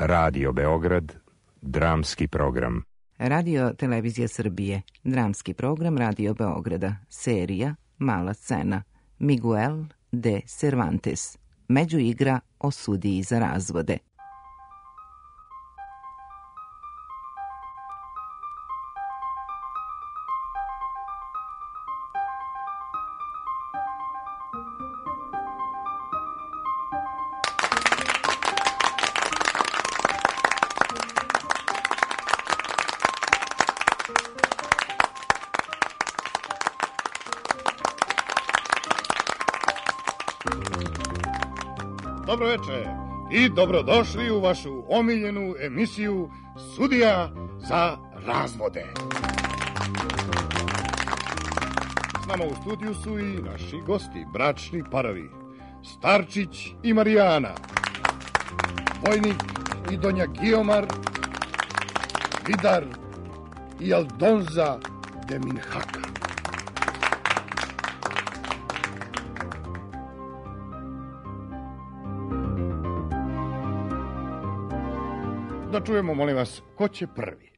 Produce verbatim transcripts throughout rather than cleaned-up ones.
Radio Beograd, dramski program. Radio Televizija Srbije, dramski program Radio Beograda, serija Mala scena, Miguel de Cervantes, međuigra o sudiji za razvode. Dobro večer i dobrodošli u vašu omiljenu emisiju Sudija za razvode. S nama u studiju su i naši gosti, bračni parovi, Starčić i Marijana, Vojnik i Donja Gijomar, Vidar i Aldonza de Minhaka. Da čujemo, molim vas, ko će prvi?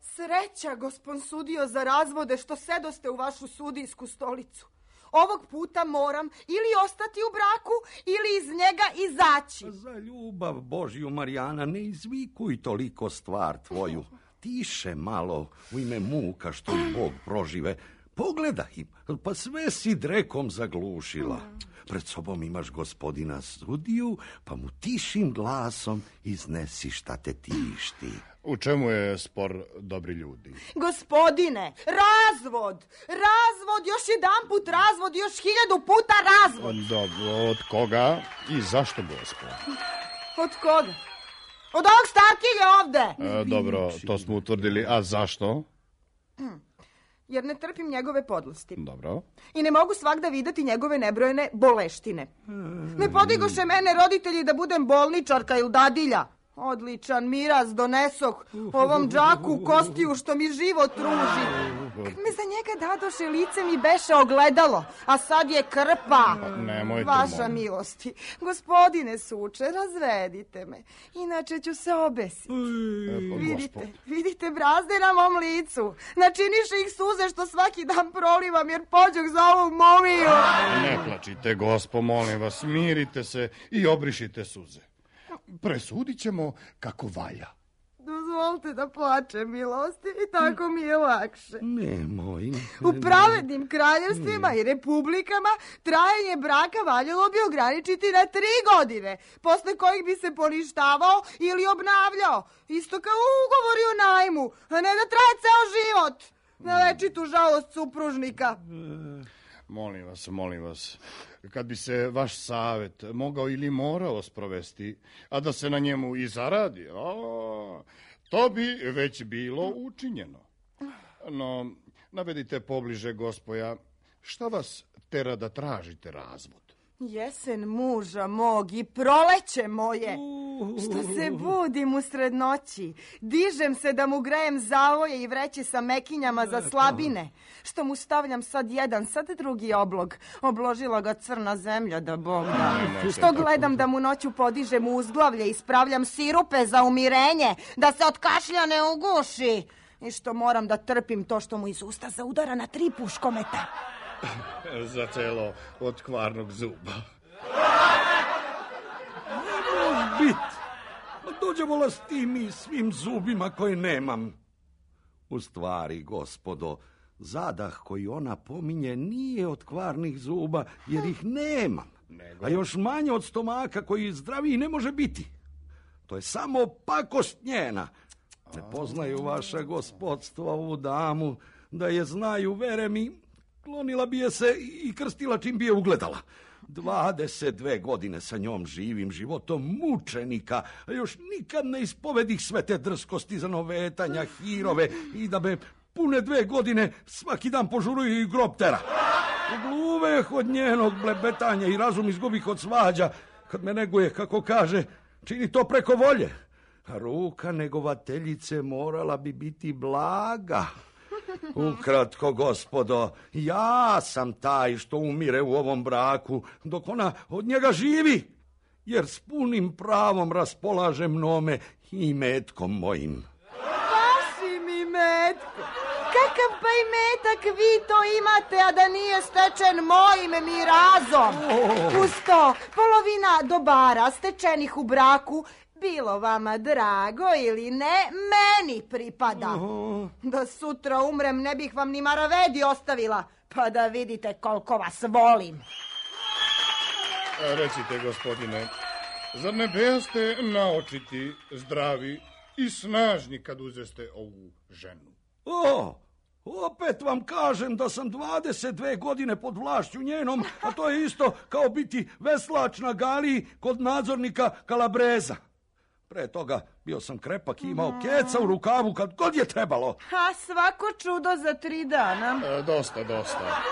Sreća, gospon sudio za razvode, što sedoste u vašu sudijsku stolicu. Ovog puta moram ili ostati u braku ili iz njega izaći. Za ljubav Božju, Marijana, ne izvikuj toliko stvar tvoju. Tiše malo, u ime muka što i Bog prožive. Pogledaj im, pa sve si drekom zaglušila. Pred sobom imaš gospodina sudiju, pa mu tišim glasom iznesi šta te tišti. U čemu je spor, dobri ljudi? Gospodine, razvod! Razvod, još jedan put razvod, još hiljadu puta razvod! Dobro, od koga i zašto, gospod? Od koga? Od ovog starkinja ovde! E, dobro, to smo utvrdili, a zašto? Jer ne trpim njegove podlosti. Dobro. I ne mogu svagda videti njegove nebrojene boleštine. Ne podigoše mene roditelji da budem bolničarka ili dadilja. Odličan miraz donesoh ovom džaku kostiju što mi život ruži. Kad me za njega dadoše, lice mi beše ogledalo, a sad je krpa. Nemojte, vaša molim. milosti. Gospodine suče, razvedite me, inače ću se obesiti. E, Vidite, gospod. vidite brazde na mom licu. Načiniše ih suze što svaki dan prolivam jer pođoh za ovu momiju. Ne plačite, gospo, molim vas, mirite se i obrišite suze. Presudit ćemo kako valja. Dozvolite da plačem, milosti, i tako mi je lakše. Nemoj. U pravednim kraljevstvima i republikama trajanje braka valjalo bi ograničiti na tri godine, posle kojih bi se poništavao ili obnavljao, isto kao ugovori o najmu, a ne da traje ceo život, na večitu žalost supružnika. Molim vas, molim vas, kad bi se vaš savjet mogao ili morao sprovesti, a da se na njemu i zaradi, a, to bi već bilo učinjeno. No, navedite pobliže, gospoja, šta vas tera da tražite razvod? Jesen muža mog i proleće moje, što se budim usred noći, dižem se da mu grejem zavoje i vreće sa mekinjama za slabine, što mu stavljam sad jedan, sad drugi oblog, obložila ga crna zemlja da Bog da, što gledam da mu noću podižem uzglavlje i spravljam sirupe za umirenje, da se od kašlja ne uguši, i što moram da trpim to što mu iz usta zaudara na tri puškometa. Za celo od kvarnog zuba. Ne može bit. Dođemo la s tim i svim zubima koje nemam. U stvari, gospodo, zadah koji ona pominje nije od kvarnih zuba, jer ih nemam. A još manje od stomaka koji zdraviji ne može biti. To je samo pakost njena. Ne poznaju vaša gospodstva ovu damu, da je znaju, vere mi, klonila bi je se i krstila čim bi je ugledala. dvadeset dve godine sa njom živim životom mučenika, a još nikad ne ispovedih sve te drskosti za novetanja, hirove i da me pune dve godine svaki dan požuruju i grob tera. Gluveh od njenog blebetanja i razum izgubih od svađa, kad me neguje, kako kaže, čini to preko volje. ruka negovateljice morala bi biti blaga. Ukratko, gospodo, ja sam taj što umire u ovom braku, dok ona od njega živi, jer s punim pravom raspolaže mnome i metkom mojim. Vašim imetkom? Kakav pa imetak vi to imate, a da nije stečen mojim mirazom? Oh. Uz to, polovina dobara stečenih u braku, bilo vama drago ili ne, meni pripada. Oh. Da sutra umrem, ne bih vam ni maravedi ostavila, pa da vidite koliko vas volim. Recite, gospodine, zar ne bejaste naočiti, zdravi i snažni kad uzeste ovu ženu? O, opet vam kažem da sam dvadeset dve godine pod vlašću njenom, a to je isto kao biti veslač na galiji kod nadzornika Kalabreza. Pre toga bio sam krepak i imao keca u rukavu kad god je trebalo. A svako čudo za tri dana. E, dosta, dosta.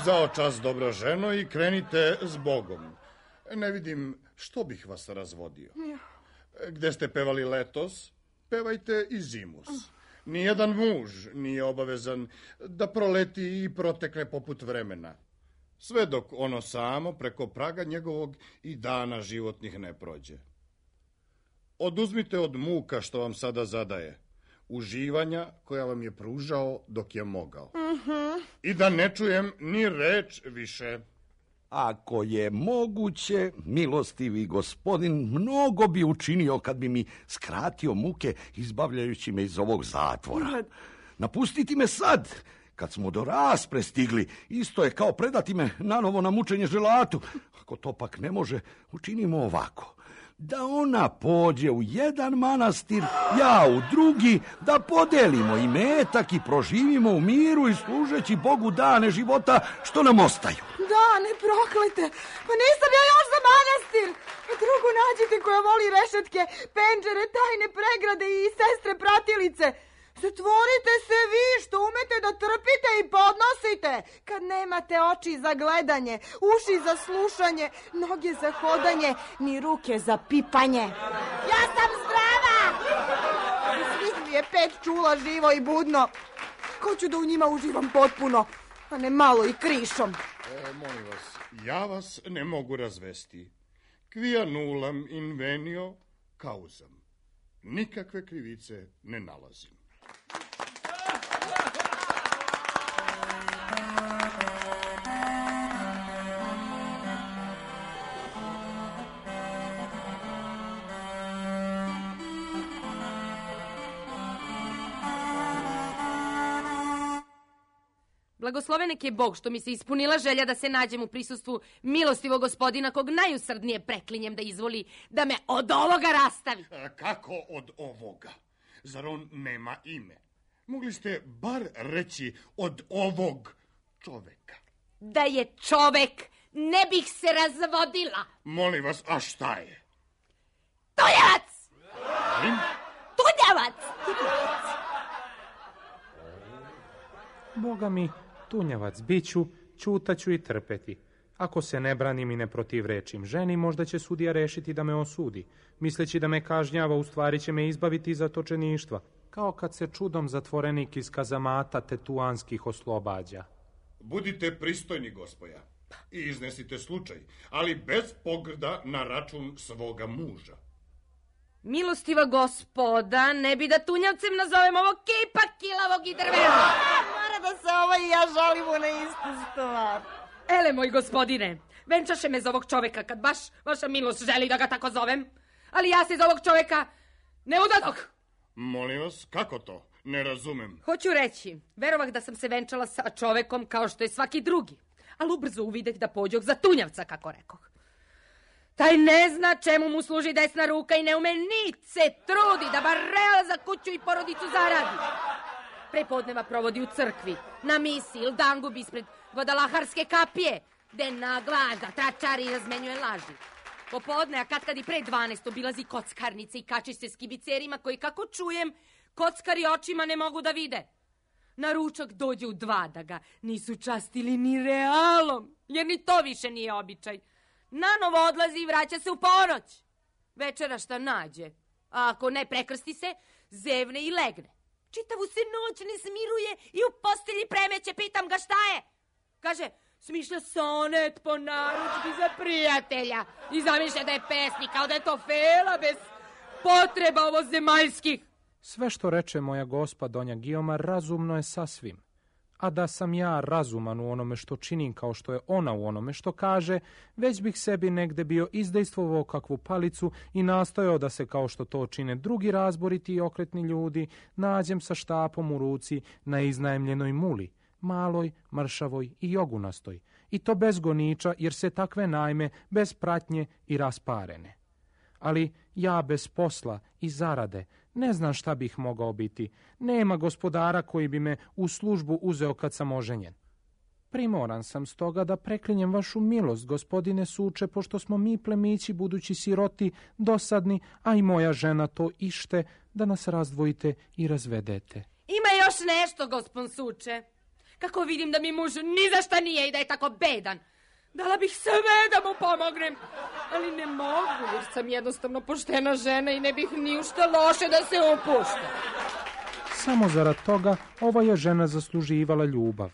Zao čas, dobro ženo, i krenite s Bogom. Ne vidim što bih vas razvodio. Gde ste pevali letos, pevajte i zimus. Nijedan muž nije obavezan da proleti i protekne poput vremena. Sve dok ono samo preko praga njegovog i dana životnih ne prođe. Oduzmite od muka što vam sada zadaje, uživanja koja vam je pružao dok je mogao. Uh-huh. I da ne čujem ni reč više. Ako je moguće, milostivi gospodin mnogo bi učinio kad bi mi skratio muke izbavljajući me iz ovog zatvora. Napustiti me sad, kad smo do raspre stigli, isto je kao predati me nanovo na mučenje želatu. Ako to pak ne može, učinimo ovako. Da ona pođe u jedan manastir, ja u drugi, da podelimo imetak i proživimo u miru i služeći Bogu dane života što nam ostaju. Dane proklete, pa nisam ja još za manastir. Pa drugu nađite koja voli rešetke, penđere, tajne pregrade i sestre pratilice. Zatvorite se vi što umete da trpite i podnosite, kad nemate oči za gledanje, uši za slušanje, noge za hodanje, ni ruke za pipanje. Ja sam zdrava! Svih mi je pet čula živo i budno. Ko ću da u njima uživam potpuno, a ne malo i krišom. E, molim vas, ja vas ne mogu razvesti. Quia nullam invenio causam. Nikakve krivice ne nalazim. Blagosloven nek je Bog što mi se ispunila želja da se nađem u prisustvu milostivog gospodina kog najusrdnije preklinjem da izvoli da me od ovoga rastavi. A kako od ovoga? Zar on nema ime? Mogli ste bar reći od ovog čoveka. Da je čovek, ne bih se razvodila. Molim vas, a šta je? Tunjavac! Im? Tunjavac! Boga mi, tunjavac biću, ćutaću i trpeti. Ako se ne branim i ne protivrečim ženi, možda će sudija rešiti da me osudi. Misleći da me kažnjava, u stvari će me izbaviti iz zatočeništva. Kao kad se čudom zatvorenik iz kazamata tetuanskih oslobađa. Budite pristojni, gospoja, i iznesite slučaj, ali bez pogrda na račun svoga muža. Milostiva gospoda, ne bi da tunjavcem nazovem ovog kipa kilavog i drvenog. Mora da se ovo i ja žalimo na istu stvar. Ele, moj gospodine, venčaše me za ovog čoveka, kad baš vaša milost želi da ga tako zovem. Ali ja se za ovog čoveka ne udadoh. Molim vas, kako to? Ne razumem. Hoću reći, verovah da sam se venčala sa čovekom kao što je svaki drugi, ali ubrzo uvideh da pođoh za tunjavca, kako rekoh. Taj ne zna čemu mu služi desna ruka i ne ume nic se trudi da bar real za kuću i porodicu zaradi. Prepodneva provodi u crkvi, na misi ili dangub ispred Guadalaharske kapije, gde na glas da tračari i razmenjuje laži. Popodne, a kad kad i pre dvanaest obilazi kockarnice i kači se s kibicerima koji, kako čujem, kockari očima ne mogu da vide. Na ručak dođe u dva da ga nisu častili ni realom, jer ni to više nije običaj. Nanovo odlazi i vraća se u ponoć. Večera šta nađe, A ako ne, prekrsti se, zevne i legne. Čitavu se noć ne smiruje i u postelji premeće. Pitam ga šta je. Kaže, smišlja sonet po narudžbi za prijatelja. I zamišlja da je pesnik, kao da je to fela bez potreba ovo zemaljskih. Sve što reče moja gospa Donja Gijoma razumno je sasvim. A da sam ja razuman u onome što činim kao što je ona u onome što kaže, već bih sebi negde bio izdejstvovao kakvu palicu i nastojao da se, kao što to čine drugi razboriti i okretni ljudi, nađem sa štapom u ruci na iznajmljenoj muli, maloj, mršavoj i jogunastoj, i to bez goniča, jer se takve najme bez pratnje i rasparene. Ali ja bez posla i zarade ne znam šta bih mogao biti. Nema gospodara koji bi me u službu uzeo kad sam oženjen. Primoran sam stoga da preklinjem vašu milost, gospodine Suče, pošto smo mi plemići, budući siroti, dosadni, a i moja žena to ište, da nas razdvojite i razvedete. Ima još nešto, gospon Suče. Kako vidim da mi muž ni za šta nije i da je tako bedan. Dala bih sve da mu pomognem, ali ne mogu, jer sam jednostavno poštena žena i ne bih ni u šta loše da se upušta. Samo zarad toga ova je žena zasluživala ljubav.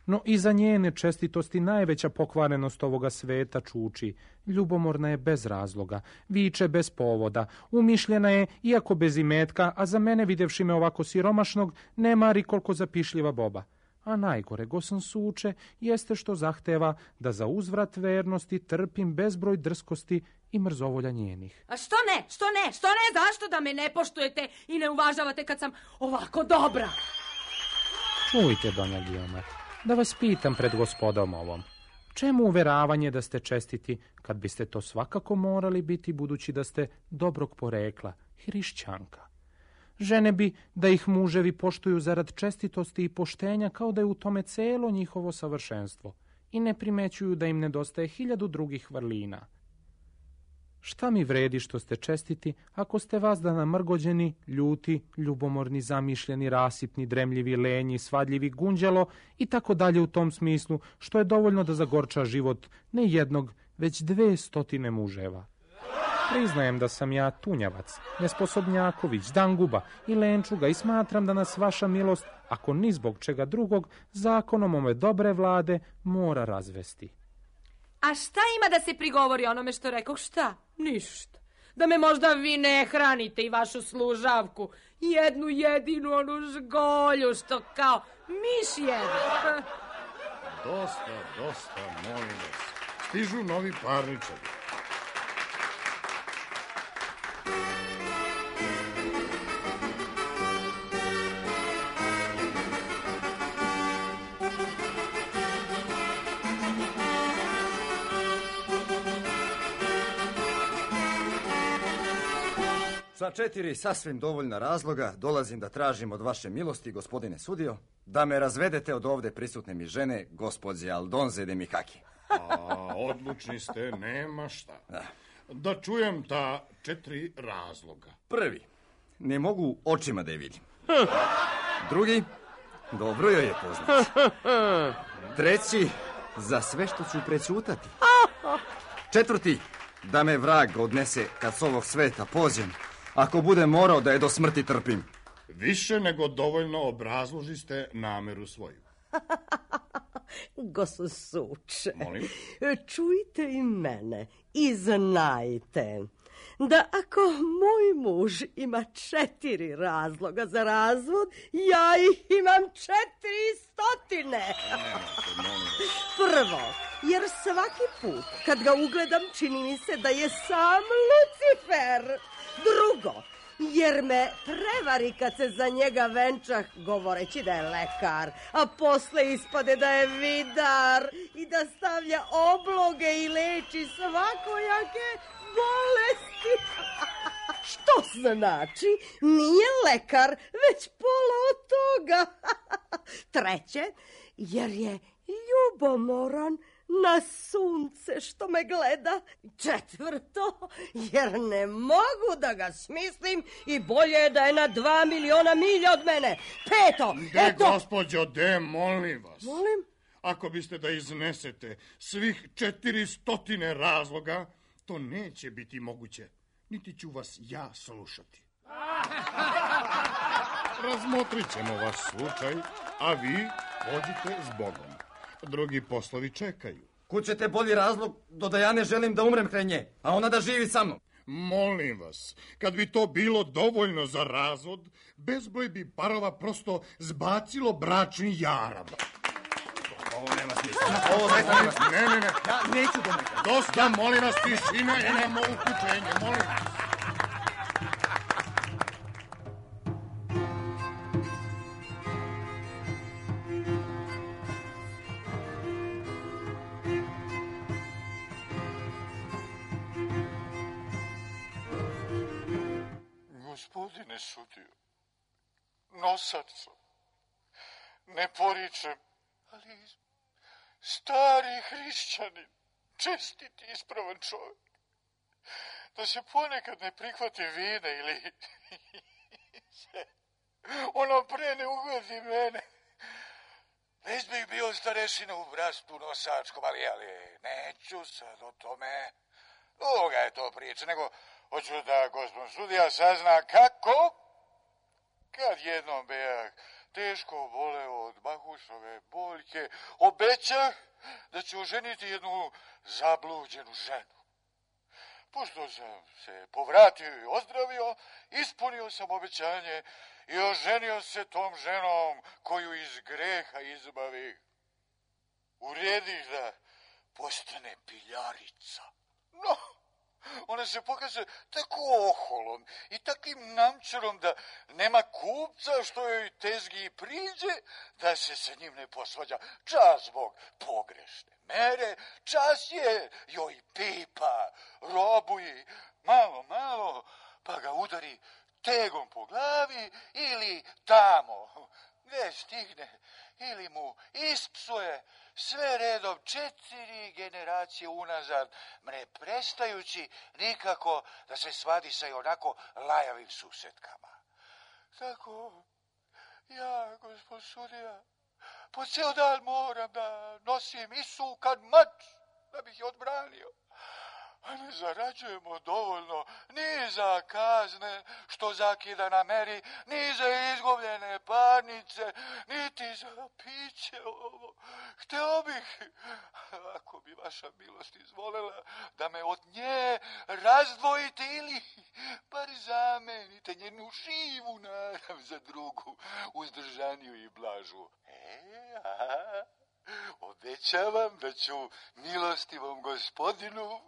No i za njene čestitosti najveća pokvarenost ovoga sveta čuči. Ljubomorna je bez razloga, viče bez povoda, umišljena je, iako bez imetka, a za mene, videvši me ovako siromašnog, ne mari koliko zapišljiva boba. A najgore, gosan Suče, jeste što zahteva da za uzvrat vernosti trpim bezbroj drskosti i mrzovolja njenih. A što ne, što ne, što ne, zašto da me ne poštujete i ne uvažavate kad sam ovako dobra? Čujte, Donja Gijoma, da vas pitam pred gospodom ovom. Čemu uveravanje da ste čestiti, kad biste to svakako morali biti, budući da ste dobrog porekla, hrišćanka? Žene bi da ih muževi poštuju zarad čestitosti i poštenja, kao da je u tome celo njihovo savršenstvo, i ne primećuju da im nedostaje hiljadu drugih vrlina. Šta mi vredi što ste čestiti, ako ste vas da namrgođeni, ljuti, ljubomorni, zamišljeni, rasipni, dremljivi, lenji, svadljivi, gunđalo i tako dalje u tom smislu, što je dovoljno da zagorča život ne jednog, već dve stotine muževa. Priznajem da sam ja tunjavac, nesposobnjaković, danguba i lenčuga i smatram da nas vaša milost, ako ni zbog čega drugog, zakonom ove dobre vlade mora razvesti. A šta ima da se prigovori onome što rekoh, šta? Ništa. Da me možda vi ne hranite i vašu služavku, jednu jedinu onu žgolju što kao miš jede. Dosta, dosta, molim vas. Stižu novi parničari. Sa četiri sasvim dovoljna razloga dolazim da tražim od vaše milosti, gospodine sudio, da me razvedete od ovde prisutne mi žene, gospođe Aldonze de Mikaki. A, odlučni ste, nema šta. Da. Da čujem ta četiri razloga. Prvi, ne mogu očima da je vidim. Drugi, dobro joj je poznat. Treći, za sve što ću prećutati. Četvrti, da me vrag odnese kad s ovog sveta pođem, ako budem morao da je do smrti trpim. Više nego dovoljno obrazloži ste nameru svoju. Gosu Suče, Molim? čujte i mene i znajte da ako moj muž ima četiri razloga za razvod, ja ih imam četiri stotine. Prvo, jer svaki put kad ga ugledam čini mi se da je sam Lucifer. Drugo, jer me prevari kad se za njega venčah govoreći da je lekar, a posle ispade da je vidar i da stavlja obloge i leči svakojake bolesti. Što znači, nije lekar, već pola od toga. Treće, jer je ljubomoran na sunce što me gleda. Četvrto, jer ne mogu da ga smislim i bolje je da je na dva miliona milja od mene. Peto, De, eto... gospođo, de, molim vas. Molim? Ako biste da iznesete svih četiri stotine razloga, to neće biti moguće. Niti ću vas ja slušati. Razmotrit ćemo vaš slučaj, a vi pođite s Bogom. Drugi poslovi čekaju. Kud ćete bolji razlog do da ja ne želim da umrem kraj nje, a ona da živi sa mnom? Molim vas, kad bi to bilo dovoljno za razvod, bezbroj bi parova prosto zbacilo bračni jarab. Ovo nema smisla. Ovo zaista nema smisla. Ne, ne, ne. Ja neću da me... Dosta, molim vas, tišina i nemo uključenje, molim vas. Gospodine sudiju, nosac sam, ne poričem, ali stari hrišćanin, čestit i ispravan čovjek, da se ponekad ne prihvati vina ili se ono pre ne ugodi mene. Već bih bio starešina u bratstvu nosačkom, ali, ali neću sad o tome. Duga je to priča, nego hoću da gospodin sudija sazna kako, kad jednom bejak teško boleo od bahušove boljke, obećah da ću oženiti jednu zabluđenu ženu. Pošto sam se povratio i ozdravio, ispunio sam obećanje i oženio se tom ženom koju iz greha izbavih. Uredih da postane piljarica. No, ona se pokaže tako oholom i takim namčarom da nema kupca što joj tezgi priđe da se sa njim ne posvađa. Čas zbog pogrešne mere, čas je joj pipa, robuje malo, malo, pa ga udari tegom po glavi ili tamo gde stigne ili mu ispsuje sve redom četiri generacije unazad, ne prestajući nikako da se svadi sa i onako lajavim susetkama. Tako, ja, gospod sudija, po ceo dan moram da nosim isukan mač da bih je odbranio. A ne zarađujemo dovoljno ni za kazne što zakida na meri, ni za izgubljene parnice, niti za piće ovo. Hteo bih, ako bi vaša milost izvolela, da me od nje razdvojite ili bar zamenite njenu živu narav za drugu, uzdržaniju i blažu. E, a, obećavam da ću milostivom gospodinu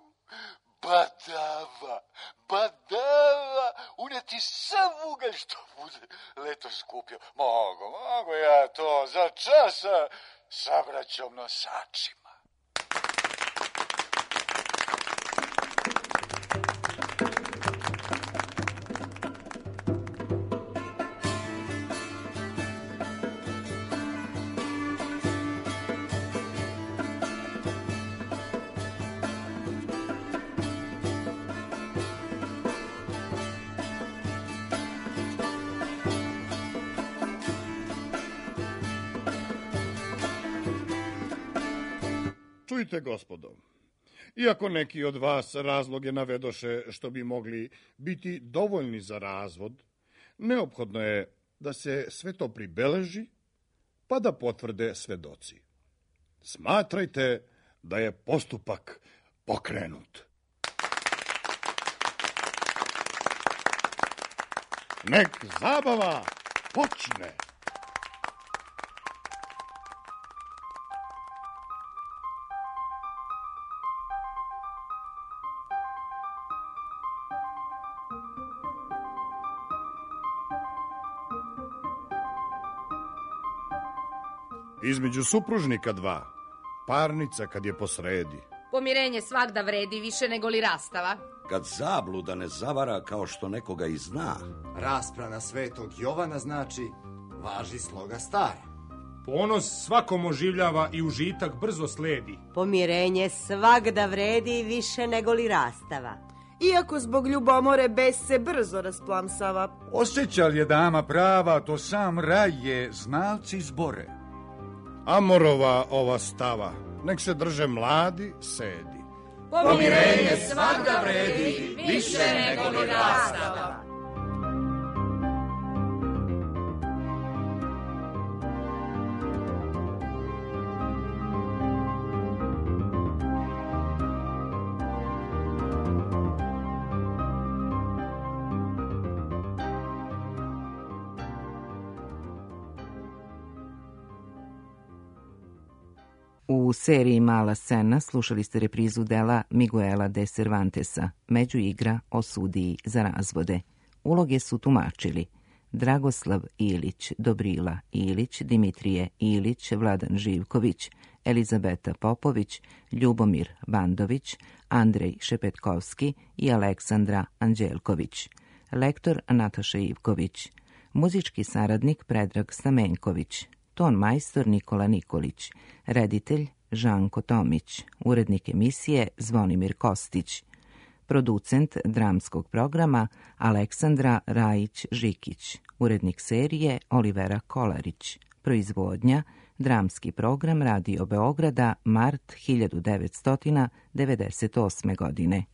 badava, badava, uneti sav ugalj što bude letos skupio. Mogu, mogu ja to za časa sa braćom nosačima. Čujte, gospodo, iako neki od vas razloge navedoše što bi mogli biti dovoljni za razvod, neophodno je da se sve to pribeleži, pa da potvrde svedoci. Smatrajte da je postupak pokrenut. Nek zabava počne. Između supružnika dva, parnica kad je posredi. Pomirenje svagda vredi više nego li rastava. Kad zabluda ne zavara kao što nekoga i zna. Rasprava svetog Jovana znači važi sloga stara. Ponos svakom oživljava i užitak brzo sledi. Pomirenje svagda vredi više nego li rastava. Iako zbog ljubomore bes se brzo rasplamsava. Osjeća li je dama prava, to sam raj je, znalci zbore. Amorova ova stava, nek se drže mladi, sedi. Pomirenje svagda vredi više nego li rastava. U seriji Mala scena slušali ste reprizu dela Miguela de Cervantesa, Međuigra o sudiji za razvode. Uloge su tumačili Dragoslav Ilić, Dobrila Ilić, Dimitrije Ilić, Vladan Živković, Elizabeta Popović, Ljubomir Bandović, Andrej Šepetkovski i Aleksandra Anđelković. Lektor Nataša Ivković. Muzički saradnik Predrag Stamenković. Ton majstor Nikola Nikolić. Reditelj Žanko Tomić. Urednik emisije Zvonimir Kostić. Producent dramskog programa Aleksandra Rajić-Žikić. Urednik serije Olivera Kolarić. Proizvodnja Dramski program Radio Beograda, mart hiljadu devetsto devedeset osme. godine.